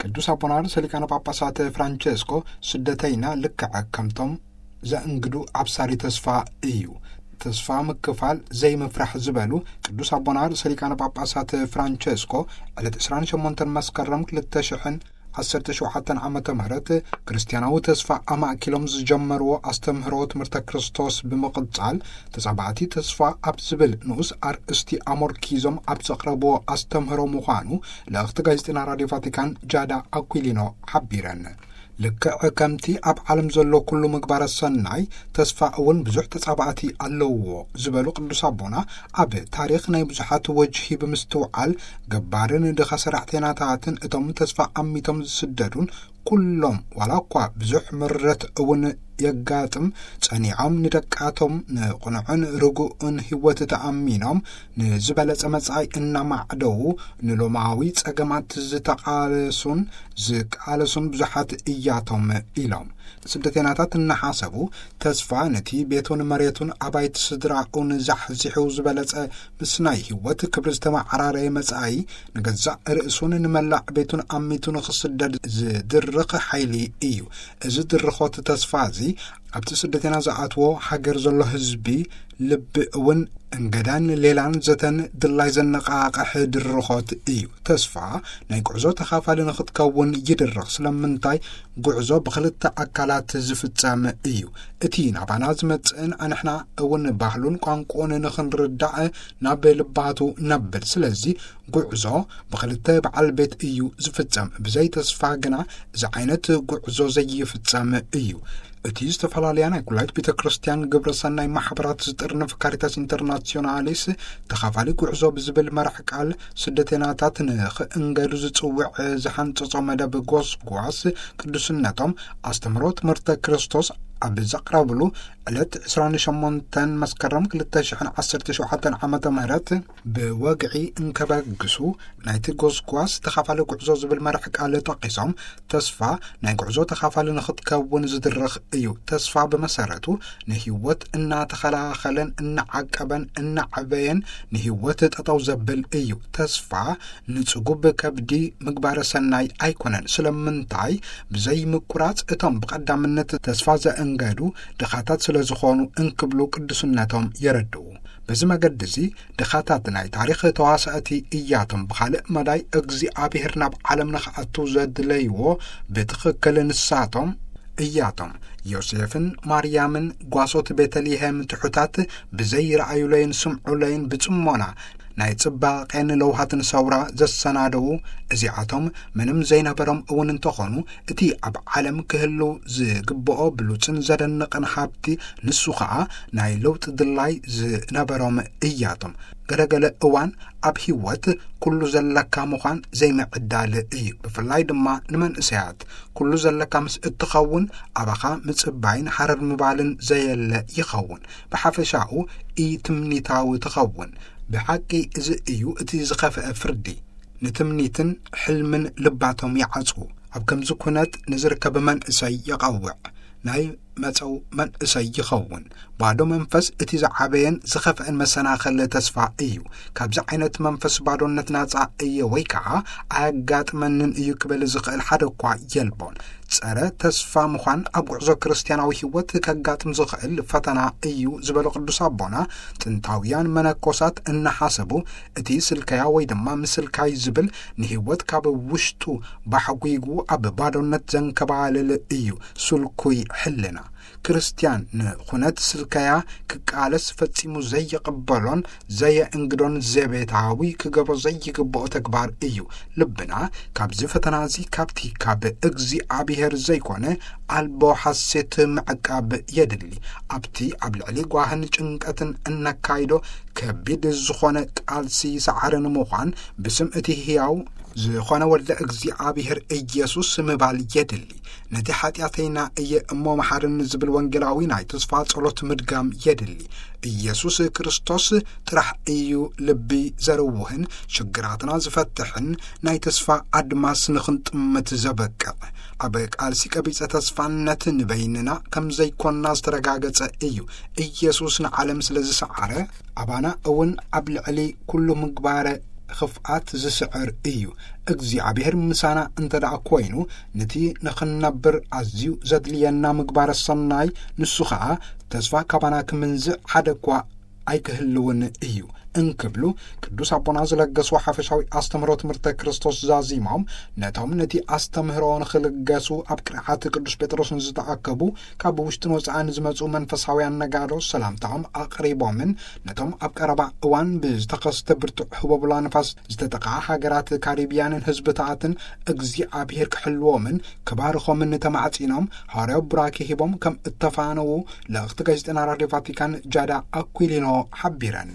ቅዱስ ኣቦና ርእሰ ሊቃነ ጳጳሳት ፍራንቸስኮ፣ ስደተይና ልክዕ ከምቶም ዘእንግዱ ኣብሳሪ ተስፋ እዩ። ተስፋ ምክፋል ዘይምፍራሕ ዝበሉ ቅዱስ ኣቦና ርእሰ ሊቃነ ጳጳሳት ፍራንቸስኮ፣ ዕለት ዕስራን ሸሞንተን መስከረም ክልተ ሽሕን ዓሰርተ ሸውዓተን ዓመተ ምህረት፣ ክርስትያናዊ ተስፋ ኣማእኪሎም ዝጀመርዎ ኣስተምህሮ ትምህርተ ክርስቶስ ብምቕጻል፣ ተጻባእቲ ተስፋ ኣብ ዝብል ንኡስ ኣርእስቲ ኣሞርኪዞም ኣብ ዘቕረብዎ ኣስተምህሮ ምዃኑ ልእኽቲ ጋዜጠና ራድዮ ቫቲካን ጃዳ ኣኩሊኖ ሓቢረን። ልክዕ ከምቲ ኣብ ዓለም ዘሎ ኩሉ ምግባረ ሰናይ፣ ተስፋ እውን ብዙሕ ተጻባእቲ ኣለውዎ ዝበሉ ቅዱስ ኣቦና፣ ኣብ ታሪኽ ናይ ብዙሓት ወጅሂ ብምስትውዓል፣ ገባርን ድኻ ሰራሕተይናታትን እቶም ተስፋ ኣሚቶም ዝስደዱን ኩሎም፣ ዋላ እኳ ብዙሕ ምረት እውን የጋጥም፣ ጸኒዖም ንደቃቶም ንቕኑዕን ርጉእን ህይወት ተኣሚኖም ንዝበለጸ መጻኢ እናማዕደዉ ንሎማዊ ጸገማት ዝተቓለሱን ዝቃለሱን ብዙሓት እያቶም ኢሎም። ስደተይናታት እናሓሰቡ ተስፋ ነቲ ቤቱን መሬቱን ኣባይቲ ስድራኡን ዛሕዚሑ ዝበለጸ ምስናይ ህይወት ክብሪ ዝተመዓራረየ መጻኢ ንገዛእ ርእሱን ንመላእ ቤቱን ኣሚቱ ንኽስደድ ዝድርኽ ሓይሊ እዩ። እዚ ድርኾት ተስፋ እዚ ኣብቲ ስደተይና ዝኣትዎ ሃገር ዘሎ ህዝቢ ልቢ እውን እንገዳን ሌላን ዘተን ድላይ ዘነቓቕሕ ድርኾት እዩ። ተስፋ ናይ ጉዕዞ ተኻፋሊ ንኽትከውን ይድርኽ። ስለምንታይ? ጉዕዞ ብኽልተ ኣካላት ዝፍጸም እዩ። እቲ ናባና ዝመጽእን ኣንሕና እውን ባህሉን ቋንቋኡን ንኽንርዳእ ናብ ልባቱ ነብል። ስለዚ ጉዕዞ ብኽልተ በዓል ቤት እዩ ዝፍጸም። ብዘይ ተስፋ ግና እዚ ዓይነት ጉዕዞ ዘይፍጸም እዩ። እቲ ዝተፈላለያ ናይ ኩላይት ቤተ ክርስቲያን ግብረ ሰናይ ማሕበራት ዝጥርንፍ ካሪታስ ኢንተርናሲዮናሊስ ተኻፋሊ ጉዕዞ ብዝብል መራሕ ቃል ስደተናታት ንኽእንገዱ ዝጽውዕ ዝሓንጸጾ መደብ ጎስጓስ ቅዱስነቶም ኣስተምህሮ ትምህርተ ክርስቶስ ኣብ ዘቕረብሉ ዕለት ዕስራን ሸሞንተን መስከረም ክልተ ሽሕን ዓሰርተ ሸውዓተን ዓመተ ምህረት ብወግዒ እንከበግሱ ናይቲ ጎስጓስ ተኻፋሊ ጉዕዞ ዝብል መራሕ ቃል ጠቒሶም፣ ተስፋ ናይ ጉዕዞ ተኻፋሊ ንኽትከውን ዝድርኽ እዩ። ተስፋ ብመሰረቱ ንህይወት እናተኸላኸለን እናዓቀበን እናዕበየን ንህይወት ጠጠው ዘብል እዩ። ተስፋ ንጽጉብ ከብዲ ምግባረ ሰናይ ኣይኮነን። ስለምንታይ? ብዘይ ምቁራጽ እቶም ብቐዳምነት ተስፋ ዘእንገዱ ድኻታት ስለ ዝኾኑ እንክብሉ ቅዱስነቶም የረድኡ። በዚ መገዲ እዚ ድኻታት ናይ ታሪኽ ተዋሳእቲ እያቶም። ብኻልእ መዳይ እግዚኣብሔር ናብ ዓለም ንኽኣቱ ዘድለይዎ ብትኽክል ንሳቶም እያቶም። ዮሴፍን ማርያምን ጓሶት ቤተልሔም ትሑታት ብዘይ ረኣዩለይን ስምዑለይን ብጽሞና ናይ ጽባቄን ለውሃትን ሰውራ ዘሰናደዉ እዚኣቶም ምንም ዘይነበሮም እውን እንተኾኑ እቲ ኣብ ዓለም ክህሉ ዝግብኦ ብሉጽን ዘደንቕን ሃብቲ ንሱ ኸኣ ናይ ለውጢ ድላይ ዝነበሮም እያቶም። ገለገለ እዋን ኣብ ህይወት ኩሉ ዘለካ ምዃን ዘይምዕዳል እዩ። ብፍላይ ድማ ንመንእሰያት ኩሉ ዘለካ ምስ እትኸውን ኣባኻ ምጽባይን ሃረር ምባልን ዘየለ ይኸውን። ብሓፈሻኡ ኢትምኒታዊ ትኸውን። ብሓቂ እዚ እዩ እቲ ዝኸፍአ ፍርዲ። ንትምኒትን ሕልምን ልባቶም ይዓጽዉ። ኣብ ከምዚ ኩነት ንዝርከብ መንእሰይ የቐውዕ። ናይ መጸው መንእሰይ ይኸውን። ባዶ መንፈስ እቲ ዝዓበየን ዝኸፍአን መሰናኸሊ ተስፋ እዩ። ካብዚ ዓይነት መንፈስ ባዶነት ናጻ እየ ወይ ከኣ ኣያጋጥመንን እዩ ክብል ዝኽእል ሓደ እኳ የልቦን። ጸረ ተስፋ ምዃን ኣብ ጉዕዞ ክርስትያናዊ ህይወት ከጋጥም ዝኽእል ፈተና እዩ ዝበሉ ቅዱስ ኣቦና፣ ጥንታውያን መነኮሳት እናሓሰቡ እቲ ስልከያ ወይ ድማ ምስልካይ ዝብል ንህይወት ካብ ውሽጡ ባሕጒጉ ኣብ ባዶነት ዘንከባልል እዩ ስልኩይ ሕልና። ክርስትያን ንኹነት ስልከያ ክቃለስ ፈጺሙ ዘይቕበሎን ዘየእንግዶን ዘቤታዊ ክገብሮ ዘይግብኦ ተግባር እዩ። ልብና ካብዚ ፈተና እዚ ካብቲ ካብ እግዚኣብሔር ዘይኮነ ኣልቦ ሓሴት ምዕቃብ የድሊ። ኣብቲ ኣብ ልዕሊ ጓህን ጭንቀትን እነካይዶ ከቢድ ዝኾነ ቃልሲ ሰዓሪ ንምዃን ብስም እቲ ህያው ዝኾነ ወልደ እግዚኣብሔር ኢየሱስ ምባል የድሊ። ነቲ ሓጢኣተይና እየ እሞ መሓርኒ ዝብል ወንጌላዊ ናይ ተስፋ ጸሎት ምድጋም የድሊ። ኢየሱስ ክርስቶስ ጥራሕ እዩ ልቢ ዘርውህን ሽግራትና ዝፈትሕን ናይ ተስፋ ኣድማስ ንኽንጥምት ዘበቅዕ። ኣብ ቃልሲ ቀቢጸ ተስፋነት ንበይንና ከም ዘይኮንና ዝተረጋገጸ እዩ። ኢየሱስ ንዓለም ስለ ዝሰዓረ፣ ኣባና እውን ኣብ ልዕሊ ኩሉ ምግባረ ኽፍኣት ዝስዕር እዩ። እግዚኣብሔር ምሳና እንተ ደኣ ኮይኑ፣ ነቲ ንኽንነብር ኣዝዩ ዘድልየና ምግባረ ሰናይ፣ ንሱ ኸኣ ተስፋ ካባና ክምንዝዕ ሓደ እኳ ኣይክህልውን እዩ እንክብሉ ቅዱስ ኣቦና ዝለገስዎ ሓፈሻዊ ኣስተምህሮ ትምህርተ ክርስቶስ ዛዚሞም፣ ነቶም ነቲ ኣስተምህሮ ንኽልገሱ ኣብ ቅርዓት ቅዱስ ጴጥሮስ ንዝተኣከቡ ካብ ውሽጥን ወጻእን ዝመጹ መንፈሳውያን ነጋዶ ሰላምታኦም ኣቕሪቦምን፣ ነቶም ኣብ ቀረባ እዋን ብዝተኸስተ ብርቱዕ ህቦብላ ንፋስ ዝተጠቕዓ ሃገራት ካሪብያንን ህዝብታትን እግዚኣብሔር ክሕልዎምን ክባርኾምን ተማዕጺኖም፣ ሃዋርያዊ ቡራኬ ሂቦም ከም እተፋነዉ ልእኽቲ ጋዜጠና ራድዮ ቫቲካን ጃዳ ኣኩሊኖ ሓቢረን።